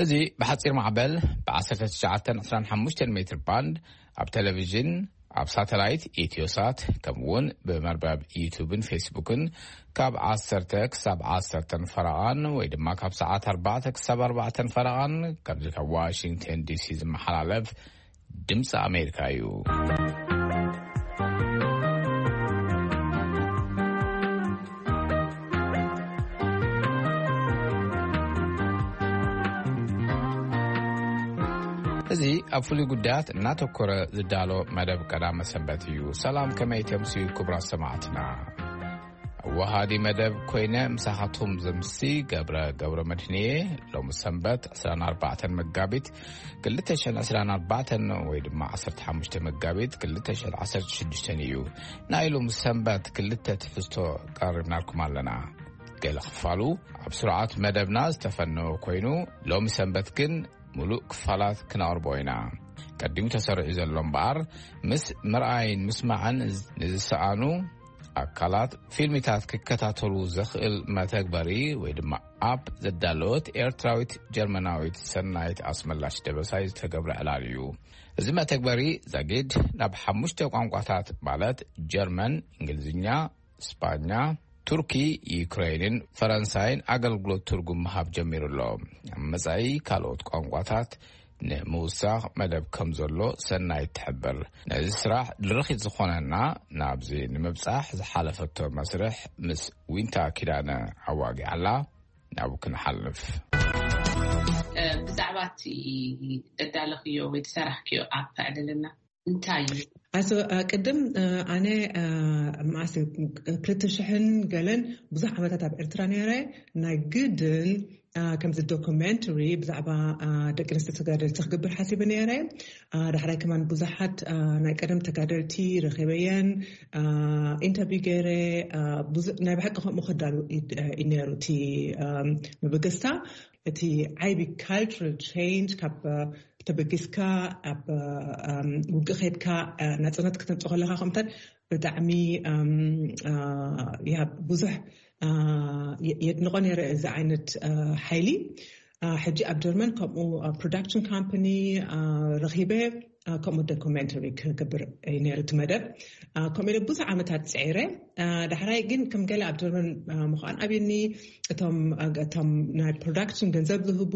እዚ ብሓጺር ማዕበል ብ1925 ሜትር ባንድ ኣብ ቴሌቪዥን፣ ኣብ ሳተላይት ኢትዮሳት፣ ከምኡ እውን ብመርበብ ዩቱብን ፌስቡክን ካብ 10 ክሳብ 10 ፈረቓን ወይ ድማ ካብ ሰዓት 4 ክሳብ 4 ፈረቓን፣ ከምዚ ካብ ዋሽንግተን ዲሲ ዝመሓላለፍ ድምፂ ኣሜሪካ እዩ። እዚ ኣብ ፍሉይ ጉዳያት እናተኮረ ዝዳሎ መደብ ቀዳመ ሰንበት እዩ። ሰላም፣ ከመይ ተምስዩ ክቡራት ሰማዕትና? ኣወሃዲ መደብ ኮይነ ምሳኻትኩም ዘምሲ ገብረ፣ ገብረ መድህንየ። ሎሚ ሰንበት 24 መጋቢት 2024 ወይ ድማ 15 መጋቢት 2016 እዩ። ናይ ሎሚ ሰንበት ክልተ ትሕዝቶ ቀሪብናልኩም ኣለና። ገለ ክፋሉ ኣብ ስርዓት መደብና ዝተፈነወ ኮይኑ፣ ሎሚ ሰንበት ግን ምሉእ ክፋላት ክነቕርቦ ኢና። ቀዲሙ ተሰሪዑ ዘሎ እምበኣር፣ ምስ ምርኣይን ምስማዕን ንዝሰኣኑ ኣካላት ፊልሚታት ክከታተሉ ዘኽእል መተግበሪ ወይ ድማ ኣፕ ዘዳለወት ኤርትራዊት ጀርመናዊት ሰናይት ኣስመላሽ ደበሳይ ዝተገብረ ዕላል እዩ። እዚ መተግበሪ ዛጊድ ናብ ሓሙሽተ ቋንቋታት ማለት ጀርመን፣ እንግሊዝኛ፣ ስጳኛ፣ ቱርኪ፣ ዩክሬንን ፈረንሳይን ኣገልግሎት ትርጉም ምሃብ ጀሚሩ ኣሎ። ኣብ መጻኢ ካልኦት ቋንቋታት ንምውሳኽ መደብ ከም ዘሎ ሰናይት ትሕብር። ነዚ ስራሕ ድርኺት ዝኾነና ናብዚ ንምብጻሕ ዝሓለፈቶ መስርሕ ምስ ዊንታ ኪዳነ ኣዋጊዓላ። ናብኡ ክንሓልፍ። እ፣ ብዛዕባ እቲ እዳለኽዮ ወይ ዝሰራሕክዮ ኣፕ ኣዕልልና። እንታይ እዩ? ኣቶ፣ እ፣ ቅድም፣ እ፣ ኣነ፣ እ፣ መዓስ እዩ? 2000ን ገለን ብዙሕ ዓመታት ኣብ ኤርትራ ነይረ። ናይ ግድን፣ እ፣ ከምዚ ዶኩሜንተሪ ብዛዕባ፣ እ፣ ደቂ ኣንስትዮ ተጋደልቲ ክገብር ሓሲበ ነይረ። እ፣ ዳሕራይ ከማን ብዙሓት፣ እ፣ ናይ ቀደም ተጋደልቲ ረኺበየን፣ እ፣ ኢንተርቪው ገይረ። እ፣ ብዙ-፣ ናይ ብሓቂ ከምኡ ክዳሉ እ፣ እዩ ነይሩ እቲ፣ እ፣ መበገስታ። እቲ ዓቢ ካልቸራል ቼንጅ ካብ፣ እ፣ ተበጊስካ ኣብ፣ እ፣ ውግእ ኸድካ፣ እ፣ ናጽነት ክተምጽእ ከለኻ ከምታት ብጣዕሚ፣ እም፣ እ፣ ያ ብዙሕ፣ እ፣ የ-፣ የድንቖ ነይረ እዚ ዓይነት፣ እ፣ ሓይሊ። እ፣ ሕጂ ኣብ ጀርመን ከምኡ፣ እ፣ ፕሮዳክሽን ካምፓኒ፣ እ፣ ረኺበ፣ እ፣ ከምኡ ዶኩሜንተሪ ክገብር እዩ ነይሩ እቲ መደብ። እ፣ ከምኡ ኢለ ብዙሕ ዓመታት ጽዒረ። እ፣ ዳሕራይ ግን ከም ገለ ኣብ ጀርመን፣ እ፣ ምዃን ኣብዩኒ። እቶም፣ እ፣ እቶም ናይ ፕሮዳክሽን ገንዘብ ዝህቡ፣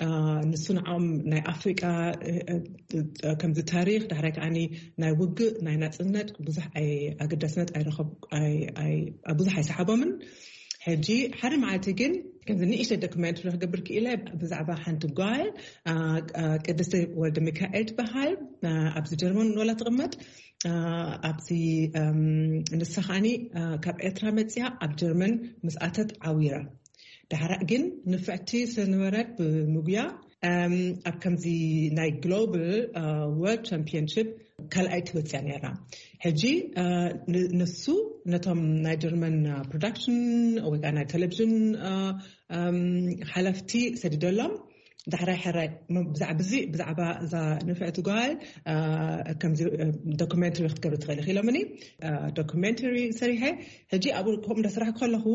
እ፣ ንሱ ንዕኦም ናይ ኣፍሪቃ፣ እ፣ እ፣ እ፣ ከምዚ ታሪኽ፣ ዳሕራይ ከዓኒ ናይ ውግእ፣ ናይ ናጽነት ብዙሕ ኣይ-፣ ኣገዳስነት ኣይረኸብ-፣ ኣይ-፣ ኣይ-፣ ብዙሕ ኣይሰሓቦምን። ሕጂ ሓደ መዓልቲ ግን ከምዚ ንእሽተይ ዶክመንተሪ ክገብር ክኢለ ብዛዕባ ሓንቲ ጓል፣ አ፣ አ፣ ቅድስቲ ወልደ ሚካኤል ትበሃል። አ፣ ኣብዚ ጀርመን ወላ ትቕመጥ። አ፣ ኣብዚ፣ እም፣ ንሳ ኸዓኒ፣ አ፣ ካብ ኤርትራ መጽያ ኣብ ጀርመን ምስ ኣተት ዓዊራ። ዳሕራ ግን ንፍዕቲ ስለዝነበረት ብምጉያ፣ እም፣ ኣብ ከምዚ ናይ ግሎባል፣ አ፣ ወርልድ ቻምፒዮንሺፕ ካልኣይቲ ወጽያ ነይራ። ሕጂ፣ እ፣ ን-፣ ንሱ ነቶም ናይ ጀርመን፣ እ፣ ፕሮዳክሽን ወይ ከዓ ናይ ቴሌቪዥን፣ እ፣ እም፣ ሓለፍቲ ሰዲደሎም። ዳሕራይ ሕራይ ም-፣ ብዛዕባ እዚ፣ ብዛዕባ እዛ ንፍዕቲ ጓል፣ እ፣ ከምዚ፣ እ፣ ዶኩሜንተሪ ክትገብሪ ትኽእሊ ኢሎምኒ። እ፣ ዶኩሜንተሪ ሰሪሐ። ሕጂ ኣብኡ ከምኡ እንዳሰራሕኩ ከለኹ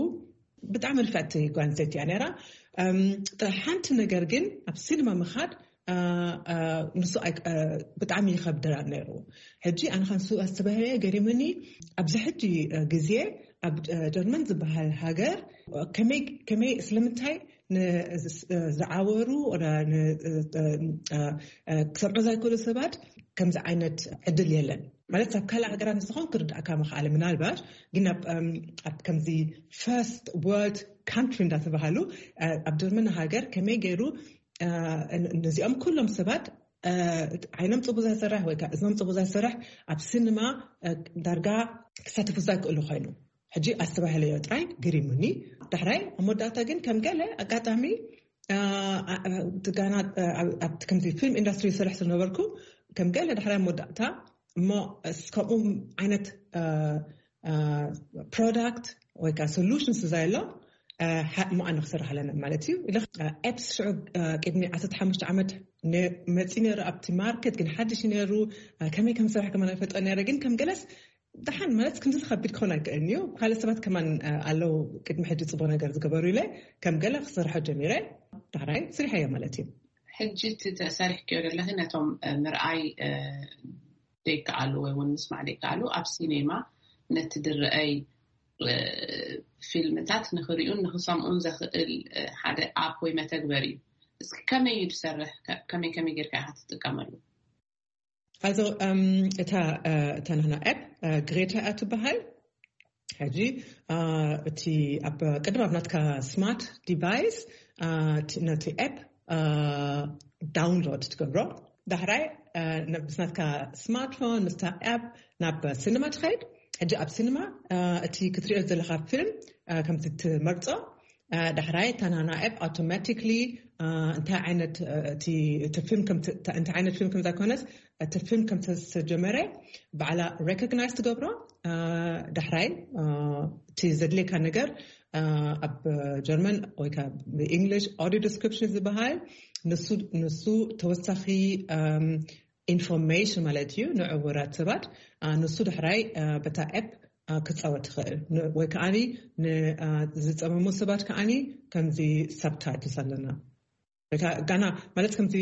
ብጣዕሚ ንፍዕቲ ጓል ኣንስተይቲ እያ ነይራ። እም፣ ጥራሕ ሓንቲ ነገር ግን ኣብ ሲኒማ ምኻድ፣ እ፣ እ፣ ንሱ ኣይ-፣ እ፣ ብጣዕሚ ይኸብደና ነይሩ። ሕጂ ኣነ ኻንሱ ኣስተባህለ ገሪሙኒ። ኣብዚ ሕጂ፣ እ፣ ግዜ ኣብ፣ እ፣ ጀርመን ዝበሃል ሃገር ከመይ፣ ከመይ ስለምንታይ ን-፣ ዝ-፣ ዝ-፣ ዝዓወሩ ወላ ን-፣ እ፣ እ፣ እ፣ ክሰምዑ ዘይክእሉ ሰባት ከምዚ ዓይነት ዕድል የለን። ማለት ኣብ ካልእ ሃገራት ንስኾን ክርዳእካ ምኽኣለ ምናልባሽ፣ ግን ኣብ፣ እም፣ ኣብ ከምዚ ፈርስት ወርልድ ካንትሪ እንዳተባሃሉ፣ እ፣ ኣብ ጀርመን ሃገር ከመይ ገይሩ፣ እ፣ ን-፣ ነዚኦም ኩሎም ሰባት፣ እ፣ ዓይኖም ጽቡቅ ዘይሰርሕ ወይ ከዓ እዝኖም ጽቡቅ ዘይሰርሕ ኣብ ሲኒማ፣ እ፣ ዳርጋ ክሳተፉ ዘይክእሉ ኮይኑ። ሕጂ ኣስተባህለዮ ጥራይ ግሪሙኒ። ዳሕራይ ኣብ መወዳእታ ግን ከም ገለ ኣጋጣሚ፣ እ፣ እ፣ እቲ ጋና፣ እ፣ ኣብ-፣ ኣብቲ ከምዚ ፊልም ኢንዳስትሪ ዝሰርሕ ዝነበርኩ ከም ገለ ዳሕራይ ኣብ መወዳእታ እሞ እስ-፣ ከምኡ ዓይነት፣ እ፣ እ፣ ፕሮዳክት ወይ ከዓ ሶሉሽን ስለ ዘየሎ፣ እ፣ ሓ-፣ እሞ ኣነ ክሰርሕ ኣለና ማለት እዩ። ኢለ፣ እ፣ ኤፕስ ሽዑ፣ እ፣ ቅድሚ 15 ዓመት ነ-፣ መፂ ነይሩ ኣብቲ ማርኬት፣ ግን ሓድሽ እዩ ነይሩ። እ፣ ከመይ ከም ዝሰርሕ ከማን ኣይፈልጦ ነይረ፣ ግን ከም ገለስ ደሓን ማለት ክንዲ ዝኸቢድ ክኾን ኣይክእልን እዩ። ካልእ ሰባት ከማን ኣለዉ ቅድሚ ሕጂ ጽቡቕ ነገር ዝገበሩ ኢለ ከም ገለ ክሰርሖ ጀሚረ። ዳሕራይ ስሪሐዮ ማለት እዩ። ሕጂ እቲ ተሰሪሕክዮ ዘለኺ ነቶም ምርኣይ ዘይከኣሉ ወይ እውን ምስማዕ ዘይከኣሉ ኣብ ሲኔማ ነቲ ድረአይ ፊልምታት ንኽሪኡን ንኽሰምኡን ዘኽእል ሓደ ኣፕ ወይ መተግበሪ እዩ። እስኪ ከመይ እዩ ዝሰርሕ? ከመይ ከመይ ጌርካ ኢኻ ትጥቀመሉ? Also እታ እታ ናህና ኣፕ ግሬታ እያ ትበሃል። ሕጂ እቲ ኣብ ቅድም ኣብ ናትካ ስማርት ዲቫይስ ነቲ ኣፕ ዳውንሎድ ትገብሮ። ዳሕራይ ምስ ናትካ ስማርትፎን ምስታ ኣፕ ናብ ሲኒማ ትኸይድ። ሕጂ ኣብ ሲኒማ እቲ ክትሪኦ ዘለካ ፊልም ከምቲ ትመርጾ ዳሕራይ እታ ናና ኣፕ ኣውቶማቲክሊ እንታይ ዓይነት እቲ ፊልም እንታይ ዓይነት ፊልም ከምዛ ኮነስ እቲ ፊልም ከም ዝተጀመረ ባዕላ ሬኮግናይዝ ትገብሮ። ዳሕራይ እቲ ዘድልየካ ነገር ኣብ ጀርመን ወይ ብእንግሊሽ ኦዲዮ ዲስክሪፕሽን ዝበሃል ንሱ ተወሳኺ ኢንፎርሜሽን ማለት እዩ ንዕውራት ሰባት። ንሱ ዳሕራይ በታ ኣፕ ክትፃወት ትኽእል ወይ ከዓኒ ዝፀመሙ ሰባት ከዓኒ ከምዚ ሳብታይትልስ ኣለና። ጋና ማለት ከምዚ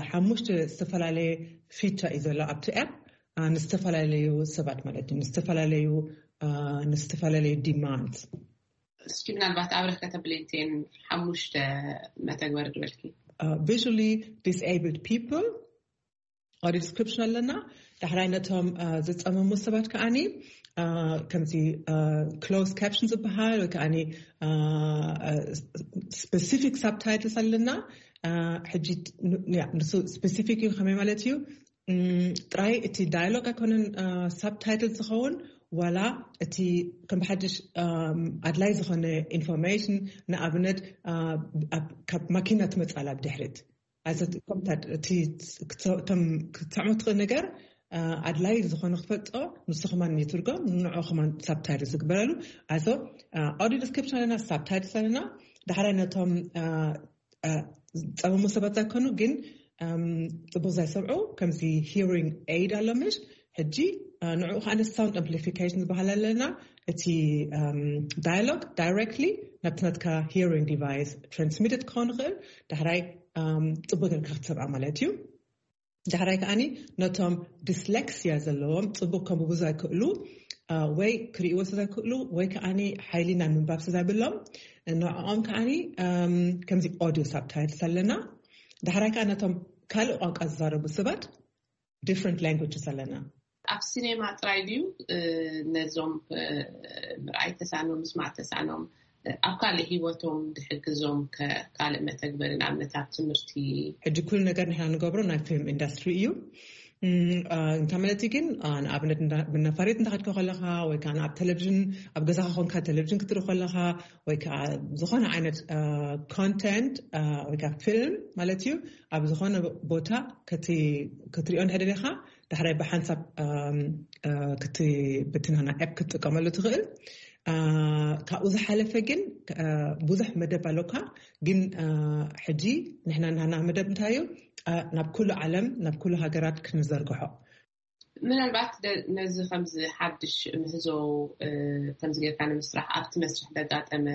ሓሙሽተ ዝተፈላለየ ፊቸር እዩ ዘሎ ኣብቲ ኣፕ ንዝተፈላለዩ ሰባት ማለት እዩ ንዝተፈላለዩ ንዝተፈላለዩ ዲማንድ። እስኪ ምናልባት ኣብረክ ከተብለይንቴን ሓሙሽተ መተግበር ዝበልኪ። Visually disabled people ኦዲዮ ዲስክሪፕሽን ኣለና። ዳሕራይ ነቶም ዝፀመሙ ሰባት ከዓኒ ከምዚ ክሎዝ ካፕሽን ዝበሃል ወይ ከዓኒ ስፔሲፊክ ሳብታይትልስ ኣለና። ሕጂ ንሱ ስፔሲፊክ እዩ ከመይ ማለት እዩ? ጥራይ እቲ ዳያሎግ ኣይኮነን ሳብታይትል ዝኸውን ዋላ እቲ ከም ብሓድሽ ኣድላይ ዝኾነ ኢንፎርሜሽን ንኣብነት ካብ ማኪና ትመፃላ ብድሕሪት እቶም ክትሰዕሞ ትኽእል ነገር ኣድላይ ዝኾነ ክፈልጦ ንሱ ከማን ይትርጎም ንንዑ ከማን ሳብታይትልስ ዝግበረሉ። ኣዞ ኦዲዮ ዲስክሪፕሽን ኣለና፣ ሳብታይትልስ ኣለና። ዳሕራይ ነቶም ፀመሙ ሰባት ዘይኮኑ ግን ፅቡቅ ዘይሰምዑ ከምዚ ሂሪንግ ኤድ ኣሎ ምሽ ሕጂ ንዕኡ ከዓ ሳውንድ ኣምፕሊፊኬሽን ዝበሃል ኣለና። እቲ ዳያሎግ ዳይሬክትሊ ናብቲ ናትካ ሂሪንግ ዲቫይስ ትራንስሚትድ ክኸውን ይኽእል። ዳሕራይ ፅቡቅ ጌርካ ክትሰምዓ ማለት እዩ። ዳሕራይ ከዓኒ ነቶም ዲስሌክሲያ ዘለዎም ፅቡቅ ከንብቡ ዘይክእሉ ወይ ክርእይዎ ስለ ዘይክእሉ ወይ ከዓኒ ሓይሊ ናይ ምንባብ ስለ ዘይብሎም ንዕኦም ከዓኒ ከምዚ ኦዲዮ ሳብታይትልስ ኣለና። ዳሕራይ ከዓ ነቶም ካልእ ቋንቋ ዝዛረቡ ሰባት ዲፍረንት ላንጉጅስ ኣለና። ኣብ ሲኔማ ጥራይ ድዩ ነዞም ምርኣይ ተሳኖም ምስማዕ ተሳኖም ኣብ ካልእ ሂወቶም ዝሕግዞም ካልእ መተግበሪ ንኣብነት ኣብ ትምህርቲ? ሕጂ ኩሉ ነገር ንሕና ንገብሮ ናይ ፊልም ኢንዳስትሪ እዩ። እንታይ ማለት ግን ንኣብነት ነፋሪት እንተኸድካ ከለኻ ወይ ከዓ ኣብ ቴሌቪዥን ኣብ ገዛኻ ኮንካ ቴሌቪዥን ክትርኢ ከለኻ ወይ ከዓ ዝኾነ ዓይነት ኮንተንት ወይ ከዓ ፊልም ማለት እዩ ኣብ ዝኾነ ቦታ ክትሪኦ እንድሕር ደሊኻ ዳሕራይ ብሓንሳብ ክትብትናና ኣፕ ክትጥቀመሉ ትኽእል። ካብኡ ዝሓለፈ ግን ብዙሕ መደብ ኣለካ። ግን ሕጂ ንሕና ናና መደብ እንታይ እዩ? ናብ ኩሉ ዓለም ናብ ኩሉ ሃገራት ክንዘርግሖ። ምናልባት ነዚ ከምዚ ሓድሽ ምህዞ ከምዚ ጌርካ ንምስራሕ ኣብቲ መስርሕ ዘጋጠመ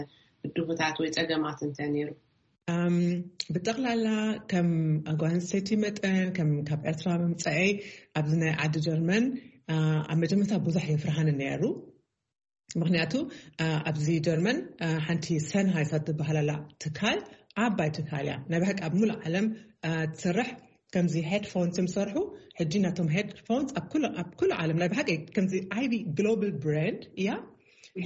ብድሆታት ወይ ፀገማት እንተ ነይሩ? ብጠቕላላ ከም ጓል ኣንስተይቲ መጠን ከም ካብ ኤርትራ ምምፀአይ ኣብዚ ናይ ዓዲ ጀርመን ኣብ መጀመርታ ብዙሕ የፍርሃኒ ነይሩ። ምክንያቱ ኣብዚ ጀርመን ሓንቲ ሰንሃይስ ትበሃል ኣላ ትካል ዓባይ ትካል እያ። ናይ ብሓቂ ኣብ ሙሉእ ዓለም ትሰርሕ ከምዚ ሄድፎንስ ዝሰርሑ ሕጂ ናቶም ሄድፎንስ ኣብ ኩሉ ዓለም ናይ ብሓቂ ከምዚ ዓቢ ግሎባል ብራንድ እያ።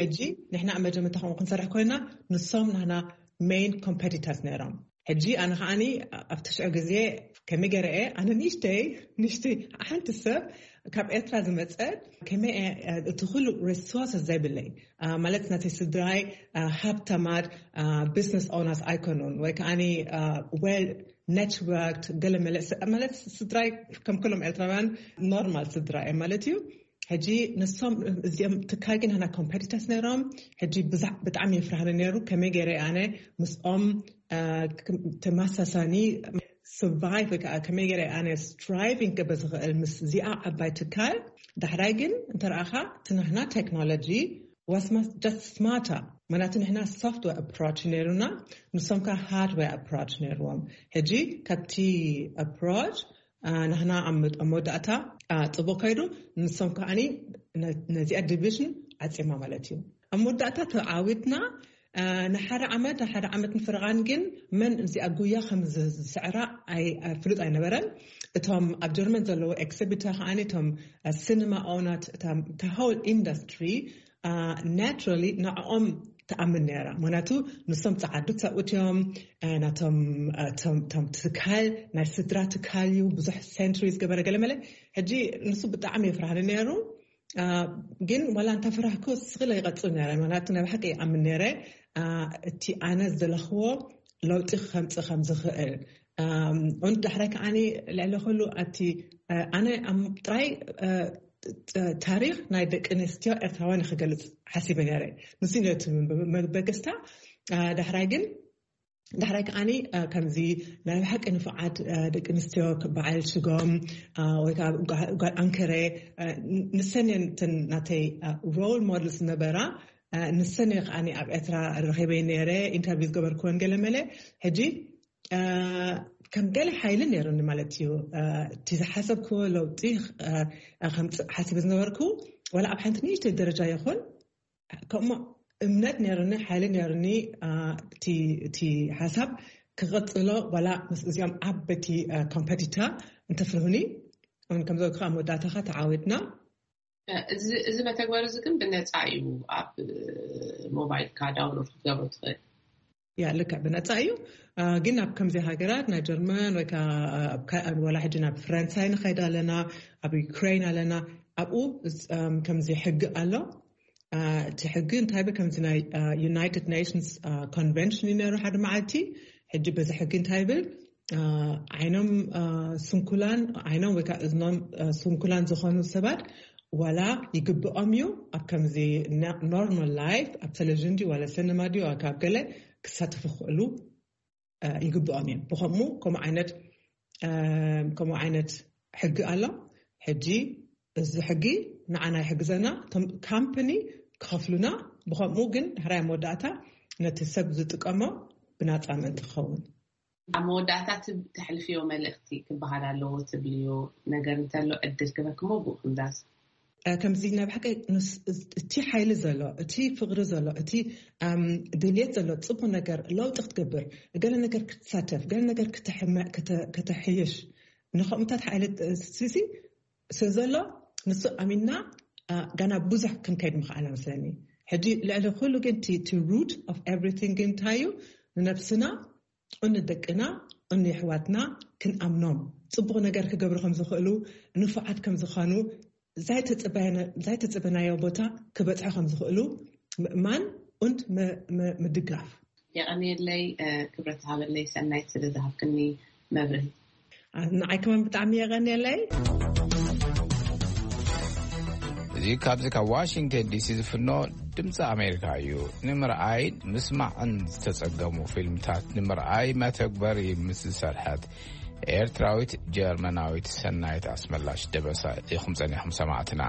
ሕጂ ንሕና ኣብ መጀመርታ ከምኡ ክንሰርሕ ኮይና ንሶም ናህና ሜን ኮምፐቲተርስ ነይሮም። ሕጂ ኣነ ከዓኒ ኣብቲ ሽዑ ግዜ ከመይ ገይረ እየ ኣነ ንእሽተይ ንእሽተይ ሓንቲ ሰብ ካብ ኤርትራ ዝመፀት ከመይ እቲ ኩሉ ሪሶርስ ዘይብለይ ማለት ናተይ ስድራይ ሃብታማት ቢዝነስ ኦነርስ ኣይኮኑን ወይ ከዓኒ ዌል ኔትወርክድ ገለ መለ ማለት ስድራይ ከም ኩሎም ኤርትራውያን ኖርማል ስድራ እዮም ማለት እዩ። ሕጂ ንሶም እዚኦም ትካል ግን ና ኮምፐቲተርስ ነይሮም። ሕጂ ብጣዕሚ የፍርሃኒ ነይሩ ከመይ ገይረ ኣነ ምስኦም ተመሳሳኒ survive ወይ ከዓ ከመይ ገይረ ኣነ striving ክገብር ዝኽእል ምስ እዚኣ ዓባይ ትካል። ዳሕራይ ግን እንተረኣኻ ትናህና ቴክኖሎጂ was just smarter። ምክንያቱ ንሕና software approach ነይሩና፣ ንሶም ከ hardware approach ነይርዎም። ሕጂ ካብቲ approach ናህና ኣብ መወዳእታ ጽቡቅ ከይዱ፣ ንሶም ከዓኒ ነዚኣ division ዓጺማ ማለት እዩ። ኣብ መወዳእታ ተዓዊትና። ንሓደ ዓመት ንሓደ ዓመት ንፍርቓን ግን መን እዚኣ ጉያ ከም ዝስዕራ ፍሉጥ ኣይነበረን። እቶም ኣብ ጀርመን ዘለዉ exhibitor ከዓኒ እቶም cinema owners፣ the whole industry naturally ንዕኦም ትኣምን ነይራ። ምክንያቱ ንሶም ጸዓዱ ሰብኡት እዮም። ናቶም ትካል ናይ ስድራ ትካል እዩ፣ ብዙሕ centuries ገበረ ገለ መለ። ሕጂ ንሱ ብጣዕሚ የፍርሃኒ ነይሩ። ግን ዋላ እንተፈራህኩ ስቕለ ይቐጽል ነረ። ምክንያቱ ናይ ብሓቂ ይኣምን ነረ እቲ ኣነ ዝደለኽዎ ለውጢ ከምጽእ ከም ዝኽእል። ን ዳሕራይ ከዓኒ ልዕሊ ኩሉ ኣቲ ኣነ ጥራይ ታሪኽ ናይ ደቂ ኣንስትዮ ኤርትራውያን ክገልጽ ሓሲበ ነረ። ንሱ ነቲ መበገስታ። ዳሕራይ ግን ዳሕራይ ከዓኒ ከምዚ ናይ ብሓቂ ንፉዓት ደቂ ኣንስትዮ በዓል ሽጎም ወይ ከዓ ጓል ኣንከረ ንሰን እየን እተን ናተይ role models ነበራ። ንሰን እየ ከዓኒ ኣብ ኤርትራ ረኺበ ነረ፣ interview ዝገበርክወን ገለ መለ። ሕጂ ከም ገለ ሓይሊ ነይሩኒ ማለት እዩ። እቲ ዝሓሰብክዎ ለውጢ ከምፅእ ሓሲበ ዝነበርኩ ዋላ ኣብ ሓንቲ ንእሽተይ ደረጃ ይኹን ከምኡ እምነት ነርኒ፣ ሓይሊ ነርኒ። እቲ ሓሳብ ክቐጽሎ ዋላ ምስ እዚኦም ዓበይቲ competitor እንተፍርሁኒ። ከምዚ ከዓ መወዳእታኻ ተዓዊትና። እዚ መተግበሪ እዚ ግን ብነፃ እዩ። ኣብ ሞባይልካ download ክትገብሮ ትኽእል። ያ ልክዕ ብነፃ እዩ። ግን ኣብ ከምዚ ሃገራት ናይ ጀርመን ወይ ከዓ ዋላ ሕጂ ናብ ፈረንሳይ ንኸይድ ኣለና፣ ኣብ ዩክሬን ኣለና። ኣብኡ ከምዚ ሕጊ ኣሎ። እቲ ሕጊ እንታይ ብ ከምዚ ናይ United Nations Convention እዩ ነሩ ሓደ መዓልቲ። ሕጂ በዚ ሕጊ እንታይ ብል ዓይኖም ስንኩላን ዓይኖም ወይ ከዓ እዝኖም ስንኩላን ዝኾኑ ሰባት ዋላ ይግብኦም እዩ ኣብ ከምዚ normal life ኣብ ቴሌቪዥን ድዩ ዋላ ሰነማ ድዩ ካብ ገለ ክሳተፉ ክኽእሉ ይግብኦም እዮም። ብኸምኡ ከምኡ ዓይነት ከምኡ ዓይነት ሕጊ ኣሎ። ሕጂ እዚ ሕጊ ንዓና ይሕግዘና፣ እቶም ካምፕኒ ክኸፍሉና። ብኸምኡ ግን ድሕራይ መወዳእታ ነቲ ሰብ ዝጥቀሞ ብናፃ ምእንቲ ክኸውን። ኣብ መወዳእታ ተሕልፍዮ መልእኽቲ ክበሃል ኣለዎ ትብልዮ ነገር እንተሎ ዕድል ክበክሞ ብኡ ክንዛዝ። ከምዚ ናይ ብሓቂ እቲ ሓይሊ ዘሎ፣ እቲ ፍቕሪ ዘሎ፣ እቲ ድልየት ዘሎ፣ ፅቡቅ ነገር ለውጢ ክትገብር፣ ገለ ነገር ክትሳተፍ፣ ገለ ነገር ከተሕይሽ፣ ንኸምኡታት ሓይሊ ስሲ ስለ ዘሎ ንሱ ኣሚና ጋና ብዙሕ ክንከይድ ምኽኣል መስለኒ። ሕጂ ልዕሊ ኩሉ ግን እቲ root of everything ግን እንታይ እዩ? ንነብስና፣ ንደቅና፣ ንኣሕዋትና ክንኣምኖም፣ ፅቡቕ ነገር ክገብሩ ከም ዝኽእሉ፣ ንፉዓት ከም ዝኾኑ፣ ዘይተፀበናዮ ቦታ ክበፅሑ ከም ዝኽእሉ ምእማን und ምድጋፍ። የቐንየለይ ክብረት ሃበለይ ሰናይት ስለ ዝሃብክኒ መብርሂ። ንዓይ ከማን ብጣዕሚ የቐንየለይ። እዚ ካብዚ ካብ ዋሽንግተን ዲሲ ዝፍኖ ድምፂ ኣሜሪካ እዩ። ንምርኣይ ምስማዕን ዝተፀገሙ ፊልምታት ንምርኣይ መተግበሪ ምስ ዝሰርሐት ኤርትራዊት ጀርመናዊት ሰናይት ኣስመላሽ ደበሳ ኢኹም ጸኒኹም ሰማዕትና።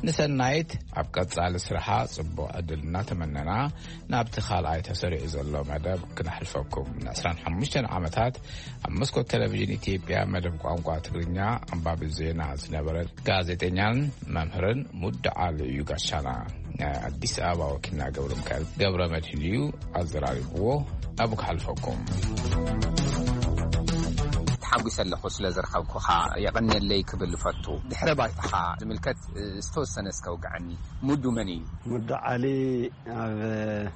ንሰናይት ኣብ ቀጻሊ ስራሓ ጽቡቕ ዕድል እናተመነና ናብቲ ካልኣይ ተሰሪዑ ዘሎ መደብ ክነሕልፈኩም። ን25 ዓመታት ኣብ መስኮት ቴሌቪዥን ኢትዮጵያ መደብ ቋንቋ ትግርኛ ኣንባቢ ዜና ዝነበረ ጋዜጠኛን መምህርን ሙድ ዓሊ እዩ ጋሻና። ናይ ኣዲስ ኣበባ ወኪልና ገብረ ሚካኤል ገብረ መድህን እዩ ኣዘራሪብዎ። ናብኡ ክሓልፈኩም። ተሓጒሰ ኣለኹ ስለ ዝረኸብኩኻ፣ የቐንየለይ ክብል እፈቱ። ድሕረ ባይታኻ ዝምልከት ዝተወሰነ እስከ ውግዐኒ። ሙዱ መን እዩ? ሙዱ ዓሊ ኣብ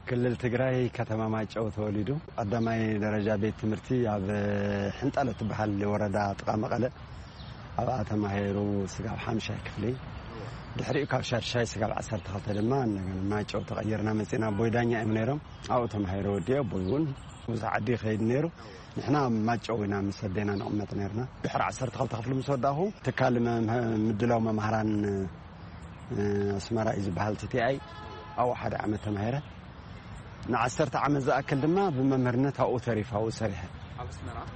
ክልል ትግራይ ከተማ ማይጨው ተወሊዱ። ቀዳማይ ደረጃ ቤት ትምህርቲ ኣብ ሕንጣሎ ትበሃል ወረዳ ጥቓ መቐለ ኣብኣ ተማሂሩ ስጋብ ሓምሻይ ክፍሊ። ድሕሪኡ ካብ ሻድሻይ ስጋብ ዓሰርተ ክልተ ድማ እንደገና ማይጨው ተቐይርና መፂና። ኣቦይ ዳኛ እዮም ነይሮም። ኣብኡ ተማሂረ ወዲኦ። ኣቦይ እውን ብዙሕ ዓዲ ይኸይድ ነይሩ። ንሕና ኣብ ማይጨው ኢና ምስ ኣዴና ንቕመጥ ነይርና። ድሕሪ ዓሰርተ ክልተ ክፍሊ ምስ ወዳእኹ ትካል መምህ-፣ ምድላው መምሃራን፣ እ፣ ኣስመራ እዩ ዝበሃል፣ ቲ ቲ ኣይ። ኣብኡ ሓደ ዓመት ተማሂረ። ንዓሰርተ ዓመት ዝኣክል ድማ ብመምህርነት ኣብኡ ተሪፈ፣ ኣብኡ ሰሪሐ።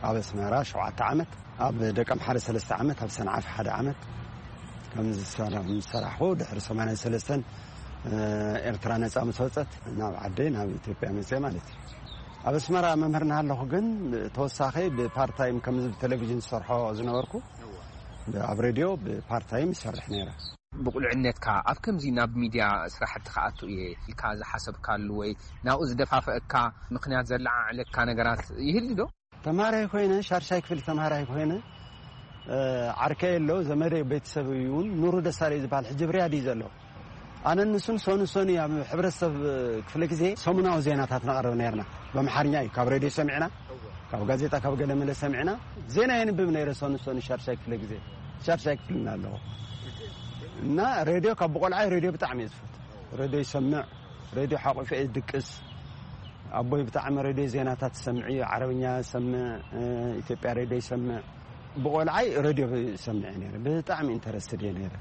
ኣብ ኣስመራ ሸውዓተ ዓመት፣ ኣብ ደቀምሓረ ሰለስተ ዓመት፣ ኣብ ሰንዓፈ ሓደ ዓመት ከም ዝሰራ-፣ ምስ ሰራሕኩ፣ ድሕሪ ሰማንያን ሰለስተን ኤርትራ ነጻ ምስ ወጸት ናብ ዓደይ፣ ናብ ኢትዮጵያ መጽየ ማለት እዩ። ኣብ ኣስመራ መምህር እናሃለኹ ግን ተወሳኺ ብፓርታይም ከምዚ ብቴሌቪዥን ዝሰርሖ ዝነበርኩ፣ ኣብ ሬድዮ ብፓርታይም ይሰርሕ ነይረ። ብቑልዕነትካ ኣብ ከምዚ ናብ ሚድያ ስራሕቲ ክኣቱ እየ ኢልካ ዝሓሰብካሉ ወይ ናብኡ ዝደፋፍአካ ምኽንያት ዘለዓዕለካ ነገራት ይህሉ ዶ? ተምሃራይ ኮይነ፣ ሻድሻይ ክፍሊ ተምሃራይ ኮይነ፣ እ፣ ዓርከይ ኣሎ፣ ዘመደይ ቤተሰብ እዩ እውን፣ ኑሩ ደሳለይ ዝበሃል ሕጂ ኣብ ሪያድ እዩ ዘሎ። ኣነ ንሱን ሶኒ ሶኒ ኣብ ሕብረተሰብ ክፍለ ግዜ ሰሙናዊ ዜናታት ነቕርብ ነርና። ብኣምሓርኛ እዩ፣ ካብ ሬድዮ ሰሚዕና፣ ካብ ጋዜጣ፣ ካብ ገለ መለ ሰሚዕና። ዜና የንብብ ነይረ ሶኒ ሶኒ ሻድሻይ ክፍለ ግዜ፣ ሻድሻይ ክፍሊ እናለኹ። እና ሬድዮ ካብ ብቆልዓይ ሬድዮ ብጣዕሚ እየ ዝፈቱ። ሬድዮ ይሰምዕ፣ ሬድዮ ሓቑፈ እየ ዝድቅስ። ኣቦይ ብጣዕሚ ሬድዮ ዜናታት ይሰምዕ እዩ፣ ዓረብኛ ይሰምዕ፣ እ፣ ኢትዮጵያ ሬድዮ ይሰምዕ። ብቆልዓይ ሬድዮ ይሰምዕ እየ ነይረ፣ ብጣዕሚ ኢንተረስትድ እየ ነይረ።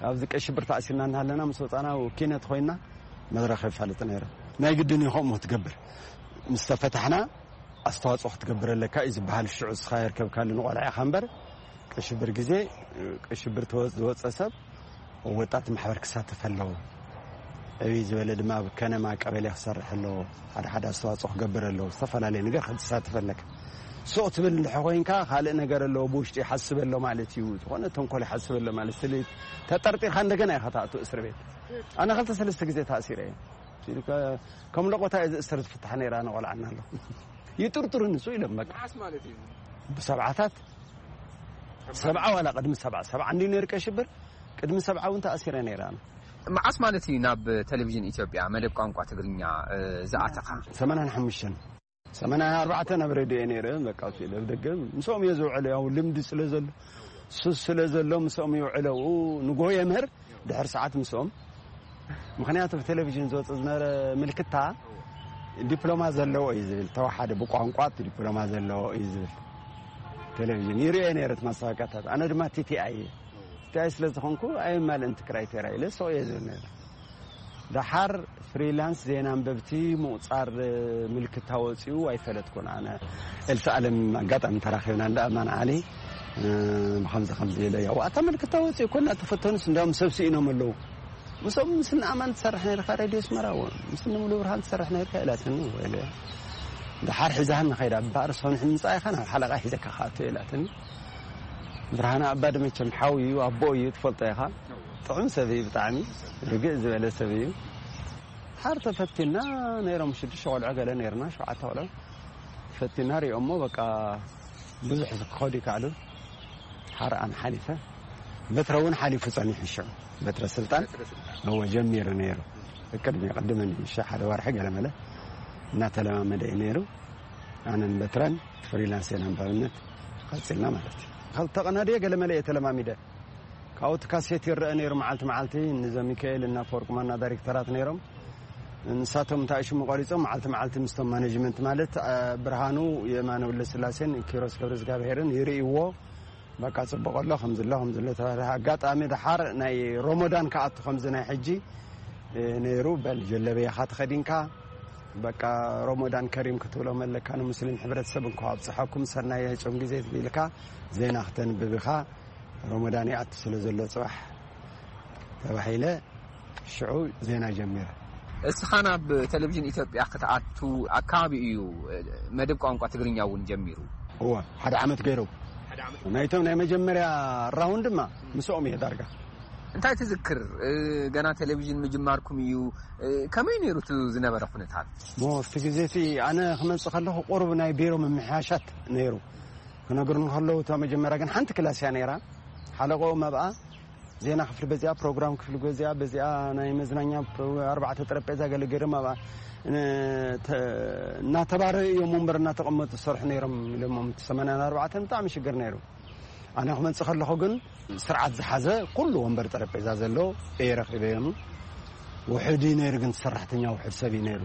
ኣብዚ ቀይ ሽብር ተኣሲርና እናሃለና ምስ ወፃና ኪነት ኮይና መድረኽ የፋልጥ ነይረ። ናይ ግድን እዩ ከምኡ ክትገብር። ምስ ተፈታሕና ኣስተዋፅኦ ክትገብር ኣለካ እዩ ዝበሃል። ሽዑ እስኻ የርከብካሉ ንቆልዓ ኢኻ እምበር፣ ቀይ ሽብር ግዜ፣ ቀይ ሽብር ተወ-፣ ዝወፀ ሰብ ወጣት ማሕበር ክሳተፍ ኣለዎ። ዕብይ ዝበለ ድማ ኣብ ከነማ ቀበሌ ክሰርሕ ኣለዎ። ሓደ ሓደ ኣስተዋፅኦ ክገብር ኣለዎ። ዝተፈላለየ ነገር ክትሳተፍ ኣለካ። ሱቕ ትብል እንድሕር ኮይንካ፣ ካልእ ነገር ኣለዎ ብውሽጢ ይሓስብ ኣሎ ማለት እዩ። ዝኾነ ተንኮል ይሓስብ ኣሎ ማለት፣ ስለ ተጠርጢርካ እንደገና ኢኻ ትኣቱ እስር ቤት። ኣነ ክልተ ሰለስተ ግዜ ተኣሲረ እየ። ኢሉ ከ-፣ ከም ለቆታ እየ ዝእሰር ዝፍታሕ ነይረ፣ ኣነ ቆልዓ እናለኹ። ይጥርጥሩኒ እሱ ኢሎም በቃ። መዓስ ማለት እዩ? ብሰብዓታት፣ ሰብዓ ዋላ ቅድሚ ሰብዓ፣ ሰብዓ እንዲ ነይሩ ቀይ ሽብር፣ ቅድሚ ሰብዓ እውን ተኣሲረ ነይረ ኣነ። መዓስ ማለት እዩ ናብ ቴሌቪዥን ኢትዮጵያ መደብ ቋንቋ ትግርኛ፣ እ፣ ዝኣተኻ? ሰማንያን ሓሙሽተን። ሰማንያን ኣርባዕተን ኣብ ሬድዮ እየ ነይረ፣ በቃ፣ እሱ ኢለ ኣብ ደገ ምስኦም እየ ዝውዕል፣ ያው ልምዲ ስለ ዘሎ፣ ሱስ ስለ ዘሎ ምስኦም ይውዕለ። ኣብኡ ንግሆ የምህር፣ ድሕሪ ሰዓት ምስኦም። ምኽንያቱ ብቴሌቪዥን ዝወጽእ ዝነበረ ምልክታ ዲፕሎማ ዘለዎ እዩ ዝብል፣ ተዋሓደ ብቋንቋ ዲፕሎማ ዘለዎ እዩ ዝብል ቴሌቪዥን ይርእየ ነይረ፣ እቲ ማስታወቂያታት። ኣነ ድማ ቲ ቲ ኣይ እየ። ቲ ቲ ኣይ ስለ ዝኾንኩ ኣየማልእን እቲ ክራይቴርያ ኢለ ሰው እየ ዝብል ነይረ። ደሓር ፍሪላንስ ዜና ኣንበብቲ ምቑጻር ምልክታ ወጺኡ ኣይፈለጥኩን ኣነ። ኤልሳ ኣለም ኣጋጣሚ ተራኺብና እንዳ ኣማን ዓሊ፣ እ፣ ብኸምዚ ከምዚ ኢለ፣ ያው ኣታ ምልክታ ወጺኡ እኮ እናተፈተኑስ እንዲያውም ሰብ ስኢኖም ኣለዉ። ምስኦም ምስ ንኣማን ትሰርሕ ነይርካ ሬድዮ ኣስመራ፣ ምስ ንሙሉ ብርሃን ትሰርሕ ነይርካ ኢላትኒ። ወይለ፣ ደሓር ሒዛህኒ ከይዳ፣ እምበኣር ሰኑሕ ምጻእ ኢኻ ናብ ሓለቓ ሒዘካ ክኣቱ ኢላትኒ። ብርሃነ ኣባዲ መቸም ሓው እዩ፣ ኣቦ እዩ፣ ትፈልጦ ኢኻ። ጥዑም ሰብ እዩ ብጣዕሚ፣ ርግእ ዝበለ ሰብ እዩ። ሓር ተፈቲና ነይሮም ሽዱሽተ ቆልዑ ገለ ነይርና፣ ሸውዓተ ቆልዑ። ፈቲና ሪኦሞ፣ በቃ ብዙሕ ክኸዱ ይከኣሉ። ሓር ኣነ ሓሊፈ። በትረ እውን ሓሊፉ ጸኒሑ ሽዑ። በትረ ስልጣን፣ እወ፣ ጀሚሩ ነይሩ። ቅድሚ፣ ቅድሚ ንእሽቶ ሓደ ወርሒ ገለ መለ እናተለማመደ እዩ ነይሩ። ኣነን በትረን ፍሪላንስ ኢና ንባብነት ቀጺልና ማለት እዩ። ክልተ ቀናድየ ገለ መለ እየ ተለማሚደ። ካብኡ እቲ ካሴት ይረአ ነይሩ መዓልቲ መዓልቲ። ንዘ ሚካኤል እና ኣፈወርቂ ማና ዳይሬክተራት ነይሮም። ንሳቶም እንታይ ሽሙ ቆሪጾም መዓልቲ መዓልቲ ምስቶም ማኔጅመንት ማለት፣ አ፣ ብርሃኑ የማነ ወልደስላሴን ኪሮስ ገብረ እግዚኣብሄርን ይርእይዎ። በቃ ጽቡቕ ኣሎ፣ ከምዚ ኣሎ፣ ከምዚ ኣሎ ተባህለ። ኣጋጣሚ ደሓር ናይ ሮሞዳን ክኣቱ ከምዚ ናይ ሕጂ፣ እ፣ ነይሩ። በል ጀለበያኻ ተኸዲንካ፣ በቃ ሮሞዳን ከሪም ክትብሎም ኣለካ፣ ንሙስሊም ሕብረተሰብ እንኳ ኣብጽሓኩም፣ ሰናይ የህጨም ግዜ ትብልካ፣ ዜና ክተንብብ ኢኻ፣ ሮሞዳን ይኣቱ ስለ ዘሎ ጽባሕ ተባሂለ። ሽዑ ዜና ጀሚረ። እስኻ ናብ ቴሌቪዥን ኢትዮጵያ ክትኣቱ ኣካባቢ እዩ፣ እ፣ መደብ ቋንቋ ትግርኛ እውን ጀሚሩ። እወ፣ ሓደ ዓመት ገይሩ። ሓደ ዓመት። ናይቶም ናይ መጀመርያ ራውንድ ድማ ምስኦም እየ ዳርጋ። እንታይ ትዝክር? እ፣ ገና ቴሌቪዥን ምጅማርኩም እዩ። እ፣ ከመይ ነይሩ እቲ ዝነበረ ኩነታት? ሞ፣ ኣብቲ ግዜ እቲ ኣነ ክመጽእ ከለኹ ቁሩብ ናይ ቢሮ ምምሕያሻት ነይሩ። ክነግሩኒ ከለዉ፣ እታ መጀመርያ ግን ሓንቲ ክላስ እያ ነይራ። ሓለቆም ኣብኣ ዜና ክፍሊ በዚኣ፣ ፕሮግራም ክፍሊ በዚኣ፣ በዚኣ ናይ መዝናኛ ፕሮ-፣ ኣርባዕተ ጠረጴዛ ገለ ገይሮም ኣብኣ፣ እ፣ ተ-፣ እናተባረዩ እዮም ወንበር እናተቐመጡ ዝሰርሑ ነይሮም ኢሎሞም። እቲ ሰማንያን ኣርባዕተን ብጣዕሚ ሽግር ነይሩ። ኣነ ክመጽእ ከለኹ ግን ስርዓት ዝሓዘ ኩሉ ወንበር ጠረጴዛ ዘሎ እየ ረኺበ እዮም። ውሑድ እዩ ነይሩ ግን ሰራሕተኛ ውሑድ ሰብ እዩ ነይሩ።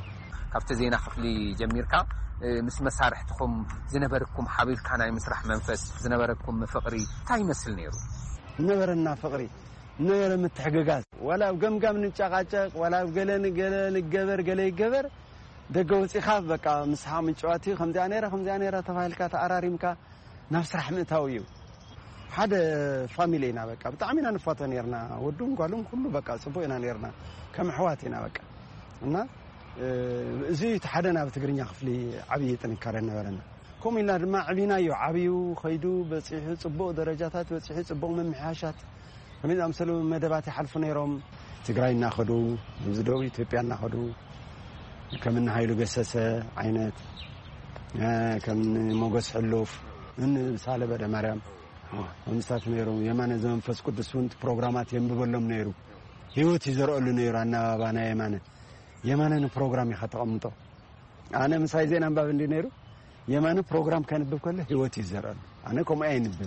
ካብቲ ዜና ክፍሊ ጀሚርካ፣ እ፣ ምስ መሳርሕትኹም ዝነበረኩም ሓቢርካ ናይ ምስራሕ መንፈስ፣ ዝነበረኩም ፍቕሪ እንታይ ይመስል ነይሩ? ነበረና ፍቕሪ፣ ነበረ ምትሕግጋዝ። ዋላ ኣብ ገምጋም ንጨቃጨቅ፣ ዋላ ኣብ ገለ ንገለ ንገበር፣ ገለ ይገበር፣ ደገ ወፂኻ በቃ ምስሓቕ ምጭዋት እዩ። ከምዚኣ ነይራ ከምዚኣ ነይራ ተባሂልካ ተኣራሪምካ ናብ ስራሕ ምእታው እዩ። ሓደ ፋሚሊ ኢና፣ በቃ ብጣዕሚ ኢና ንፋቶ ነርና። ወዱን ጓሉን ኩሉ በቃ ፅቡቅ ኢና ነርና፣ ከም ኣሕዋት ኢና በቃ። እና እዚ እቲ ሓደ ናብ ትግርኛ ክፍሊ ዓብዪ ጥንካረ ነበረና። ከምኡ ኢልና ድማ ዕቢናዮ፣ ዓብዩ ኸይዱ በፂሑ፣ ፅቡቕ ደረጃታት በፂሑ፣ ፅቡቕ ምምሕያሻት ከመይ ዝኣመሰሉ መደባት ይሓልፉ ነይሮም። ትግራይ እናኸዱ፣ እዚ ደቡብ ኢትዮጵያ እናኸዱ፣ ከም እኒ ሃይሉ ገሰሰ ዓይነት፣ ከም እኒ ሞገስ ሕሉፍ፣ እኒ ሳለ በደ ማርያም፣ ከምስታት ነይሮም። የማነ ዘመንፈስ ቅዱስ እውን ፕሮግራማት የንብበሎም ነይሩ። ህይወት ይዘርአሉ ነይሩ። ኣናባባ ናይ የማነ፣ የማነ ንፕሮግራም ኢኻ ተቐምጦ። ኣነ ምሳይ ዜና ኣንባቢ እንዲ ነይሩ፣ የማነ ፕሮግራም ከንብብ ከሎ ህይወት ይዘርአሉ። ኣነ ከምኡ ኣይንብብ።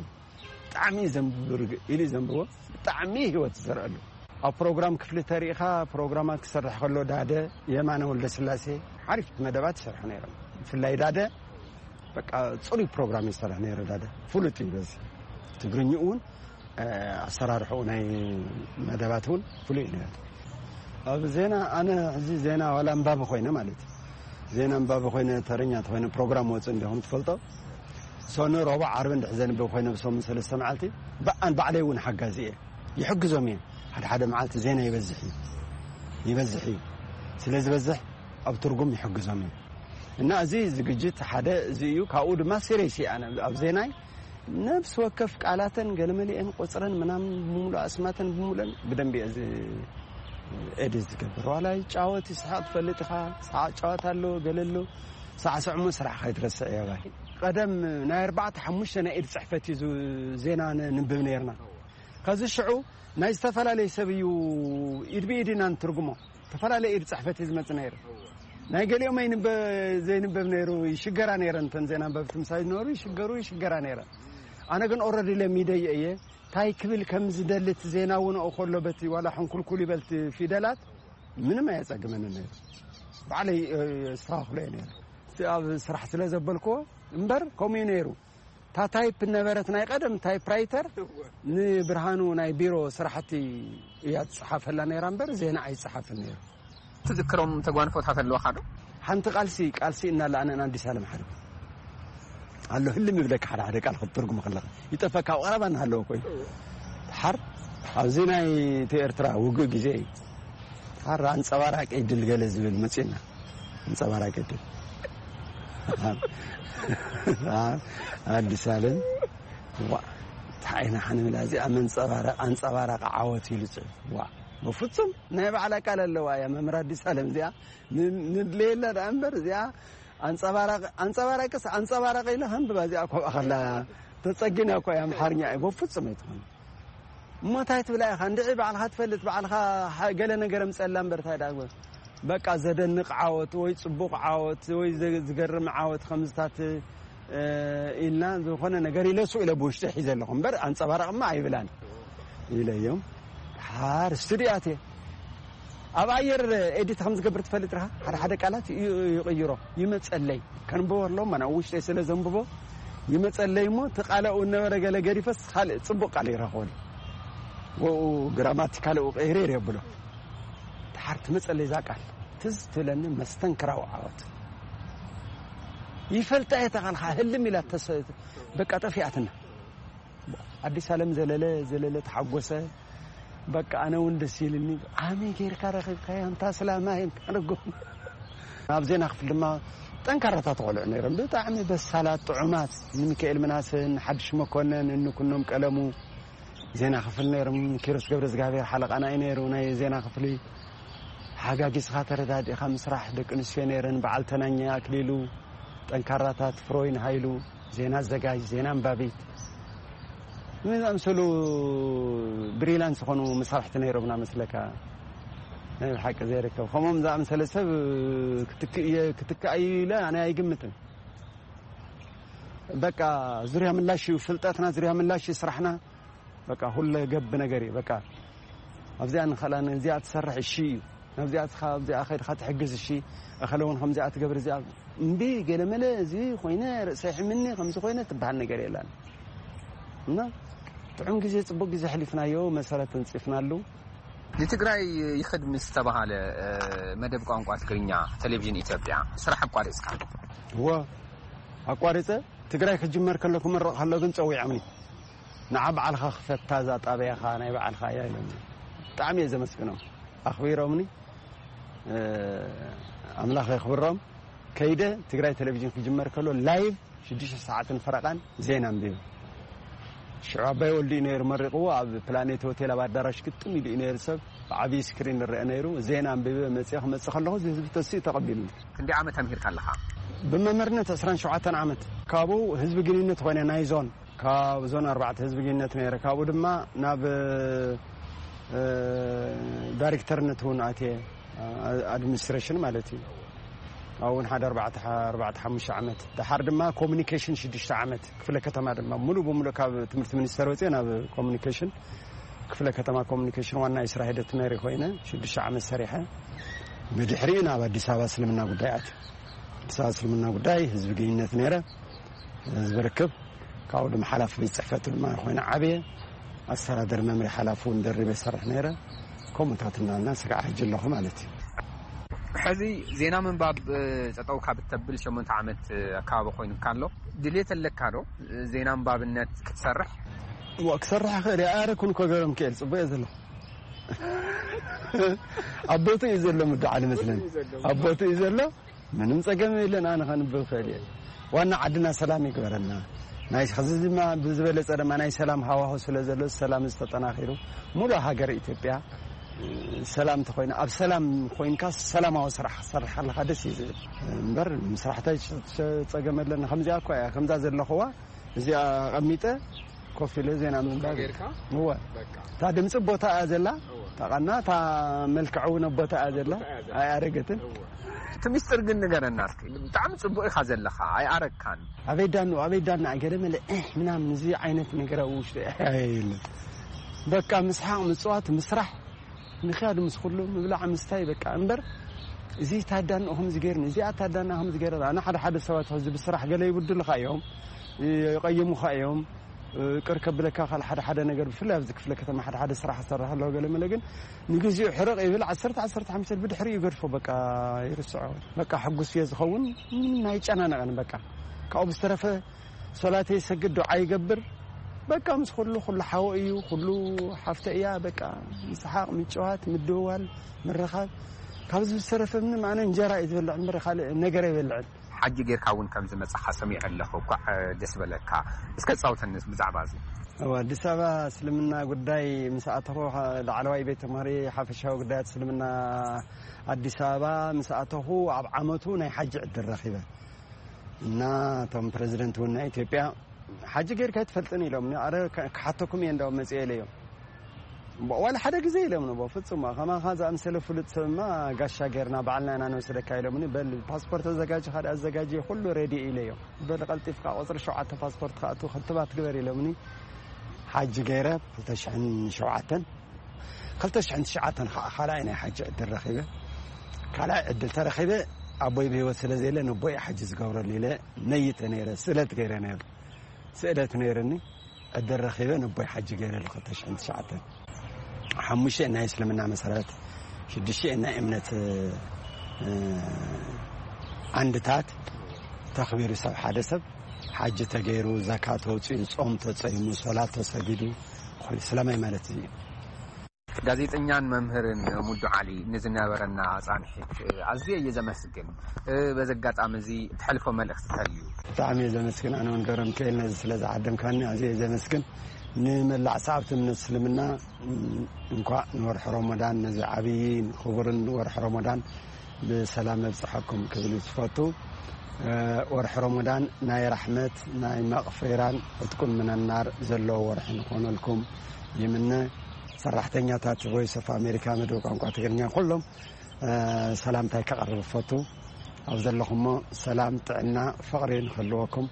ብጣዕሚ ዘንብብ ኢሉ ዘንብቦ፣ ብጣዕሚ ህይወት ይዘርአሉ። ኣብ ፕሮግራም ክፍሊ ተሪኢኻ ፕሮግራማት ክሰርሕ ከሎ ዳደ፣ የማነ ወልደ ስላሴ ሓሪፍ መደባት ይሰርሑ ነይሮም። ብፍላይ ዳደ በቃ ጽሩይ ፕሮግራም ይሰርሕ ነይሩ። ዳደ ፍሉጥ እዩ በዚ። ትግርኛ እውን ኣሰራርሕኡ ናይ መደባት እውን ፍሉይ እዩ ነይሩ። ኣብ ዜና ኣነ ሕዚ ዜና ዋላ ኣንባቢ ኮይነ ማለት እዩ። ዜና ኣንባቢ ኮይነ ተረኛ ተኮይነ ፕሮግራም ወፅእ እንዲኹም ትፈልጦ። ሰኑ ረቡዕ ዓርቢ እንድሕ ዘንብብ ኮይነ ብሰሙን ሰለስተ መዓልቲ ብኣን ባዕለይ እውን ሓጋዚ እየ። ይሕግዞም እየ። ሓደ ሓደ መዓልቲ ዜና ይበዝሕ እዩ። ይበዝሕ እዩ። ስለ ዝበዝሕ ኣብ ትርጉም ይሕግዞም እዩ። እና እዚ ዝግጅት ሓደ እዚ እዩ። ካብኡ ድማ ሲሪየስ እየ ኣነ ኣብ ዜናይ ነብስ ወከፍ ቃላተን ገለመሊአን ቆፅረን ምናምን ብምሉእ ኣስማተን ብምሉእን ብደንቢ እየ እዚ ኤዲት ዝገብር። ዋላ ይጫወት ይስሓቅ ትፈልጥ ኢኻ። ሰዓ ጫወት ኣሎ ገለ ኣሎ። ሰዓ ስዕሞ ስራሕ ከይትረስዕ እየ ባይ። ቀደም ናይ ኣርባዕተ ሓሙሽተ ናይ ኢድ ፅሕፈት እዩ ዝ- ዜና ን- ንንብብ ነይርና። ከዚ ሽዑ ናይ ዝተፈላለየ ሰብ እዩ ኢድ ብኢድ ኢና ንትርጉሞ። ዝተፈላለየ ኢድ ፅሕፈት እዩ ዝመፅእ ነይሩ። ናይ ገሊኦም ኣይንበ ዘይንበብ ነይሩ። ይሽገራ ነይረ። እንተን ዜና ኣንበብቲ ምሳይ ዝነበሩ ይሽገሩ ይሽገራ ነይረ። ኣነ ግን ኦረዲ ለሚደዮ እየ። እንታይ ክብል ከም ዝደሊ እቲ ዜና እውን ከሎ በቲ ዋላ ሕንኩልኩል ይበልቲ ፊደላት ምንም ኣየፀግመንን ነይሩ። ባዕለይ የስተኻኽሎ እየ ነይረ። እቲ ኣብ ስራሕ ስለ ዘበልክዎ እምበር ከምኡ እዩ ነይሩ። እታ ታይፕ ነበረት ናይ ቀደም ታይፕ ራይተር ንብርሃኑ ናይ ቢሮ ስራሕቲ እያ ትፅሓፈላ ነይራ እምበር ዜና ኣይፅሓፍን ነይሩ። ትዝክሮም ተጓንፎታት ኣለዋኻ ዶ? ሓንቲ ቃልሲ ቃልሲ እናለ ኣነን ኣዲስ ኣለም ሓርብ ኣሎ። ህልም ይብለካ ሓደ ሓደ ቃል ክትትርጉም ከለኻ ይጠፈካ ኣብ ቀረባ እናሃለወ ኮይኑ ሓር ኣብዚ ናይ እቲ ኤርትራ ውግእ ግዜ እዩ። ሓር ኣንፀባራቂ ድል ገለ ዝብል መፅና ኣንፀባራቂ ድል ኣዲስ ኣለም ዋ እንታይ ዓይና ሓንብላ እዚኣ መንፀባረቂ ኣንፀባራቂ ዓወት ኢሉ ፅሑፍ ዋ በፍፁም ናይ ባዕላ ቃል ኣለዋ እያ መምህር ኣዲስ ኣለም እዚኣ ንድለየላ ደኣ እምበር እዚኣ ኣንፀባራቂ ኣንፀባራቂስ ኣንፀባራቂ ኢለ ከንብባ እዚኣ ኮብኣ ከላ ተፀጊና እኮ እያ ኣምሓርኛ እዩ በፍፁም ኣይትኾን እሞ እንታይ ትብላ ኢኻ እንድዒ ባዕልኻ ትፈልጥ ባዕልኻ ገለ ነገር ኣምፀላ እምበር እንታይ ደኣ በቃ ዘደንቕ ዓወት ወይ ፅቡቕ ዓወት ወይ ዝገርም ዓወት ከምዝታት ኢልና ዝኾነ ነገር ኢለ ሱቕ ኢለ ብውሽጢ ሒዘ ኣለኹ እምበር ኣንፀባራቕማ ኣይብላን ኢለዮም። ሓር ስቱዲዮ ኣትየ ኣብ ኣየር ኤዲት ከም ዝገብር ትፈልጥ ርሃ ሓደ ሓደ ቃላት ይቕይሮ ይመፀለይ ከንብቦ ኣለዎ ናብ ውሽጢ ስለ ዘንብቦ ይመፀለይ እሞ እቲ ቃለኡ ነበረ ገለ ገዲፈስ ካልእ ፅቡቕ ቃል ይረኽበሉ ወኡ ግራማቲካሊ ቀይሬር የብሎ ድሓር ትመፀለይ እዛ ቃል ትዝ ትብለኒ መስተንክራዊ ዓወት ይፈልጣ እየ ተቓልካ ህልም ኢላ በቃ ጠፊኣትና ኣዲስ ኣለም ዘለለ ዘለለ ተሓጎሰ በቃ ኣነ እውን ደስ ኢልኒ ኣመይ ጌርካ ረኺብካያ እንታ ስላማ የንካርጎም ኣብ ዜና ክፍል ድማ ጠንካራታት ቆልዑ ነይሮም ብጣዕሚ በሳላት ጥዑማት ንሚካኤል ምናሰ ንሓድሽ መኮነን እንኩኖም ቀለሙ ዜና ክፍል ነይሮም ኪሮስ ገብረ እግዚኣብሔር ሓለቃና እዩ ነይሩ ናይ ዜና ክፍሊ ሓጋጊዝኻ ተረዳዲእኻ ምስራሕ ደቂ ኣንስትዮ ነይረን በዓል ተናኘ ኣክሊሉ ጠንካራታት ፍሮይን ሃይሉ ዜና ኣዘጋጅ ዜና ኣንባቢት ዝኣምሰሉ ብሪላንስ ዝኾኑ መሳርሕቲ ነይሮምና መስለካ ናይ ሓቂ ዘይርከብ ከምኦም ዝኣምሰለ ሰብ ክትክእ ክትክእ ኢለ ኣነ ኣይግምትን በቃ ዙርያ ምላሽ እዩ ፍልጠትና ዙርያ ምላሽ እዩ ስራሕና በቃ ሁለ ገብ ነገር እዩ በቃ ኣብዚኣ ንኸላ ነዚኣ ትሰርሕ እሺ እዩ ናብዚኣ ትኻ ኣብዚኣ ኸድኻ ትሕግዝ እሺ እኸለ እውን ከምዚኣ ትገብር እዚኣ እምቢ ገለመለ እዚ ኮይነ ርእሰይ ሕምኒ ከምዚ ኮይነ ትበሃል ነገር የላን እና ጥዑም ግዜ ፅቡቅ ግዜ ሕሊፍናዮ መሰረት ተንፂፍናሉ ንትግራይ ይኽድ ምስ ተባሃለ መደብ ቋንቋ ትግርኛ ቴሌቪዥን ኢትዮጵያ ስራሕ ኣቋሪፅካ? እወ፣ ኣቋሪፀ። ትግራይ ክጅመር ከሎ ክምረቕ ከሎ ግን ፀዊዖምኒ። ንዓ በዓልኻ ክፈታ እዛ ጣብያኻ ናይ በዓልኻ እያ ኢሎምኒ። ብጣዕሚ እየ ዘመስግኖም። ኣኽቢሮምኒ። ኣምላኽ የኽብሮም። ከይደ ትግራይ ቴሌቪዥን ክጅመር ከሎ ላይቭ ሽዱሽተ ሰዓትን ፈረቓን ዜና ኣንቢበ። ሽዑ ኣባይ ወልዱ እዩ ነይሩ መሪቕዎ። ኣብ ፕላኔት ሆቴል ኣብ ኣዳራሽ ግጥም ኢሉ እዩ ነይሩ። ሰብ ብዓብዪ ስክሪን ይረአ ነይሩ። ዜና ኣንቢበ መፂኦ ክመፅእ ከለኹ እዚ ህዝቢ ተሲኡ ተቐቢሉኒ። ክንደይ ዓመት ተምሂርካ ኣለኻ? ብመምህርነት ዕስራን ሸውዓተን ዓመት። ካብኡ ህዝቢ ግንኙነት ኮይነ ናይ ዞን፣ ካብ ዞን ኣርባዕተ ህዝቢ ግንኙነት ነይረ። ካብኡ ድማ ናብ ዳይሬክተርነት እውን ኣትየ፣ ኣድሚኒስትሬሽን ማለት እዩ። ኣብኡ እውን ሓደ ኣርባዕተ ሓሙሽተ ዓመት። ደሓር ድማ ኮሚኒኬሽን ሽዱሽተ ዓመት። ክፍለ ከተማ ድማ ሙሉእ ብሙሉእ ካብ ትምህርቲ ሚኒስተር ወፅየ ናብ ኮሚኒኬሽን፣ ክፍለ ከተማ ኮሚኒኬሽን ዋና የስራ ሂደት መሪ ኮይነ ሽዱሽተ ዓመት ሰሪሐ። ብድሕሪኡ ናብ ኣዲስ ኣበባ እስልምና ጉዳይ ኣትየ። ኣዲስ ኣበባ እስልምና ጉዳይ ህዝቢ ግንኙነት ነይረ፣ ህዝቢ ርክብ። ካብኡ ድማ ሓላፊ ቤት ፅሕፈት ድማ ኮይነ ዓብየ። ኣስተዳደር መምርሒ ሓላፊ እውን ደሪበ ይሰርሕ ነይረ። ከምኡታት እናልና ስጋዕ ሕጂ ኣለኹ ማለት እዩ። ሕዚ ዜና ምንባብ ጠጠው ካብ እተብል ሸሞንተ ዓመት ኣካባቢ ኮይኑካ ኣሎ። ድሌት ኣለካ ዶ ዜና ምንባብነት ክትሰርሕ? ክሰርሕ ክእል እየ። ኣረ ኩን ኮገሮም ክእል ፅቡቅ እየ ዘለኹ። ኣቦቱ እዩ ዘሎ ምድዓል መስለን ኣቦቱ እዩ ዘሎ። ምንም ጸገም የለን። ኣነ ከንብብ ክእል እየ። ዋና ዓድና ሰላም ይግበረልና። ናይ ከዚ ድማ ብዝበለጸ ድማ ናይ ሰላም ሃዋሁ ስለ ዘሎ ሰላም ዝተጠናኺሩ ሙሉ ሃገር ኢትዮጵያ ሰላም ተኮይና ኣብ ሰላም ኮይንካ ሰላማዊ ስራሕ ክሰርሕ ኣለካ ደስ እዩ ዝብል። እምበር ምስራሕ ታይ ጸገም ኣለና። ከምዚኣ እኳ እያ ከምዛ ዘለኽዋ እዚኣ ኣቐሚጠ ኮፍ ኢለ ዜና ምንባብ። እወ። እታ ድምፂ ቦታ እያ ዘላ። ታቐና እታ መልክዕ እውን ኣብ ቦታ እያ ዘላ። ኣይኣረገትን። እቲ ሚስጥር ግን ንገረና እስኪ። ብጣዕሚ ፅቡቅ ኢኻ ዘለኻ፣ ኣይኣረግካን። ኣበይ ዳኑ ኣበይ ዳና ገለ መለ ምናምን እዚ ዓይነት ነገር ኣብ ውሽጢ የለን። በቃ ምስሓቅ ምፅዋት ምስራሕ ምክያድ ምስ ኩሉ ምብላዕ ምስታይ በቃ እምበር እዚ ታዳንኡ ከምዚ ገይርኒ እዚኣ ታዳና ከምዚ ገይረ ኣነ ሓደ ሓደ ሰባት ሕዚ ብስራሕ ገለ ይብድሉካ እዮም፣ ይቀይሙካ እዮም። ቅር ከብለካ ካል ሓደ ሓደ ነገር ብፍላይ ኣብዚ ክፍለ ከተማ ሓደ ሓደ ስራሕ ዝሰርሕ ኣለዎ ገለ መለ ግን ንግዚኡ ሕርቕ ይብል ዓሰርተ ዓሰርተ ሓሙሽተ ብድሕሪ ይገድፎ በቃ ይርስዖ። በቃ ሕጉስ እየ ዝኸውን። ምንም ኣይጨናነቐን በቃ ካብኡ ብዝተረፈ ሶላተይ ይሰግድ ዱዓ ይገብር። በቃ ምስ ኩሉ ኩሉ ሓወ እዩ ኩሉ ሓፍተ እያ በቃ ምስሓቕ ምጭዋት ምድውዋል ምርኻብ ካብዚ ዝተረፈ ምንም ኣነ እንጀራ እዩ ዝበልዕ እምበር ካልእ ነገር ኣይበልዕን። ሓጂ ጌርካ እውን ከም ዝመጻኻ ሰሚዐ ኣለኹ። እኳዕ ደስ በለካ። እስከ ጻውተኒ ብዛዕባ እዚ። ኣብ ኣዲስ ኣበባ እስልምና ጉዳይ ምስ ኣተኹ ላዕለዋይ ቤት ተምሃሪ ሓፈሻዊ ጉዳያት እስልምና ኣዲስ ኣበባ ምስ ኣተኹ ኣብ ዓመቱ ናይ ሓጂ ዕድል ረኺበ እና እቶም ፕረዚደንት እውን ናይ ኢትዮጵያ ሓጂ ጌርካ ኣይትፈልጥን ኢሎምኒ። ኣረ ክሓተኩም እየ እንዳው መፅአ ኢለዮም። ዋላ ሓደ ግዜ ኢሎምኒ። በፍፁም ከማኻ ዝኣምሰለ ፍሉጥ ሰብማ ጋሻ ጌርና ባዕልና ኢና ንወስደካ ኢሎምኒ። በል ፓስፖርት ኣዘጋጅ ካደ ኣዘጋጅ ኩሉ ሬዲ ኢለዮም። በል ቀልጢፍካ ቁፅሪ ሸውዓተ ፓስፖርት ክኣቱ ክትባት ግበር ኢሎምኒ። ሓጂ ገይረ ክልተ ሽሕን ሸውዓተን ክልተ ሽሕን ትሽዓተን ከዓ ካልኣይ ናይ ሓጂ ዕድል ረኺበ። ካልኣይ ዕድል ተረኺበ ኣቦይ ብህይወት ስለ ዘየለ ነቦይ ሓጂ ዝገብረሉ ኢለ ነይተ ነይረ ስእለት ገይረ ነይሩ። ስእለት ነይርኒ ዕድል ረኺበ ነቦይ ሓጂ ገይረ ሉ ክልተ ሽሕን ትሽዓተን ሓሙሽተ ናይ እስልምና መሰረት ሽዱሽተ ናይ እምነት ዓንድታት ተኽቢሩ ሰብ ሓደ ሰብ ሓጂ ተገይሩ ዘካ ተውፅኡ ፆም ተፀይሙ ሶላት ተሰጊዱ ኮይኑ ስለማይ ማለት እዩ። ጋዜጠኛን መምህርን ሙዱ ዓሊ ንዝነበረና ፃንሒት ኣዝየ እየ ዘመስግን። በዚ ኣጋጣሚ እዚ እተሕልፎ መልእኽቲ ተልዩ? ብጣዕሚ እየ ዘመስግን ኣነ እውን ገብረሚካኤል ነዚ ስለ ዝዓደምካኒ ኣዝየ እየ ዘመስግን። ንመላእ ሰዓብቲ እምነት እስልምና እንኳዕ ንወርሒ ረመዳን ነዚ ዓብይን ክቡርን ወርሒ ረመዳን ብሰላም መብፅሐኩም ክብል ዝፈቱ። ወርሒ ረመዳን ናይ ራሕመት ናይ መቕፊራን ዕጥቁን ምነናር ዘለዎ ወርሒ ንኾነልኩም ይምነ። ሰራሕተኛታት ቮይስ ኦፍ ኣሜሪካ መደብ ቋንቋ ትግርኛ ኩሎም ሰላምታይ ከቐርብ ፈቱ። ኣብ ዘለኹሞ ሰላም ጥዕና ፍቕሪ ንክህልወኩም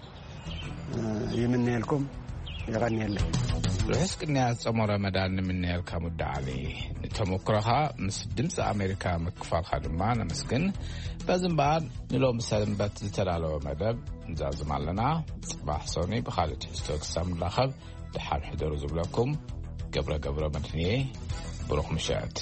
ይምነየልኩም። የቐንየለይ። ርሑስ ቅንያ ዝጸሞ ረመዳን ንምነየልካ ሙዳ ዓሊ። ንተመክሮኻ ምስ ድምፂ ኣሜሪካ ምክፋልካ ድማ ነመስግን። በዚ እምበኣር ንሎሚ ሰንበት ዝተዳለወ መደብ ንዛዝም ኣለና። ጽባሕ ሶኒ ብኻልእ ትሕዝቶ ክሳብ ንራኸብ ደሓን ሕደሩ ዝብለኩም ገብረ ገብረ መድህንየ። ብሩኽ ምሸት።